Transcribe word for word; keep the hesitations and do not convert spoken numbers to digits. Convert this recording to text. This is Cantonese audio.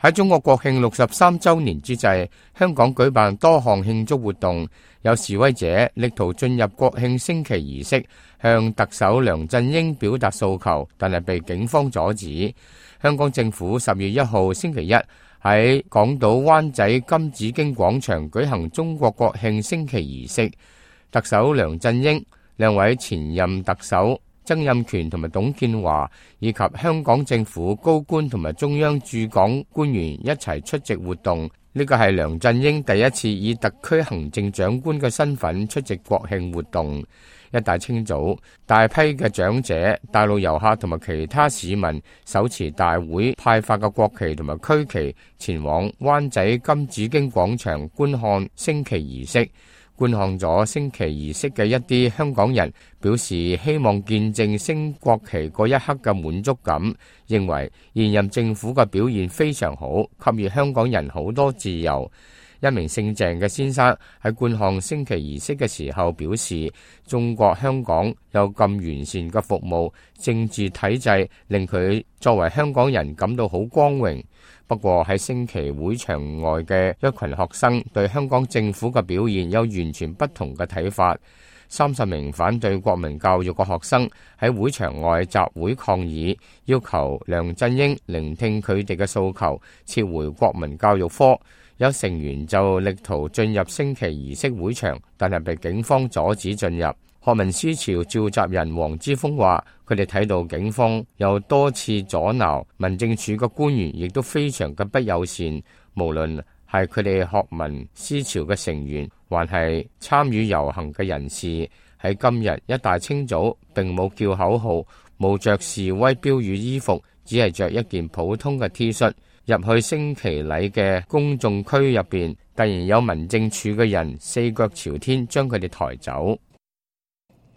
喺中國國慶六十三週年之際，香港舉辦多項慶祝活動，有示威者力圖進入國慶升旗儀式，向特首梁振英表達訴求，但係被警方阻止。香港政府十月一號星期一喺港島灣仔金紫荊廣場舉行中國國慶升旗儀式，特首梁振英、兩位前任特首曾蔭權同埋董建華以及香港政府高官同埋中央駐港官員一齊出席活動。呢個係梁振英第一次以特區行政長官嘅身份出席國慶活動。一大清早，大批嘅長者、大陸遊客同埋其他市民手持大會派發嘅國旗同埋區旗，前往灣仔金紫荊廣場觀看升旗儀式。觀看咗升旗儀式嘅一啲香港人表示希望見證升國旗嗰一刻嘅滿足感，認為現任政府嘅表現非常好，給予香港人好多自由。一名姓鄭嘅先生喺觀看升旗儀式嘅時候表示，中國香港有咁完善嘅服務，政治體制令佢作為香港人感到好光榮。不過喺升旗會場外嘅一群學生對香港政府嘅表現有完全不同嘅睇法。三十名反對國民教育嘅學生喺會場外集會抗議，要求梁振英聆聽佢哋嘅訴求，撤回國民教育科。有成員就力圖進入升旗儀式會場，但係被警方阻止進入。學民思潮召集人黃之鋒話，佢哋睇到警方有多次阻撓，民政處嘅官員亦都非常嘅不友善，無論係佢哋學民思潮嘅成員，還係參與遊行嘅人士，喺今日一大清早並冇叫口號，冇着示威標語衣服，只係着一件普通嘅 T 恤。入去升旗禮嘅公眾區入邊，突然有民政處嘅人四腳朝天將佢哋抬走。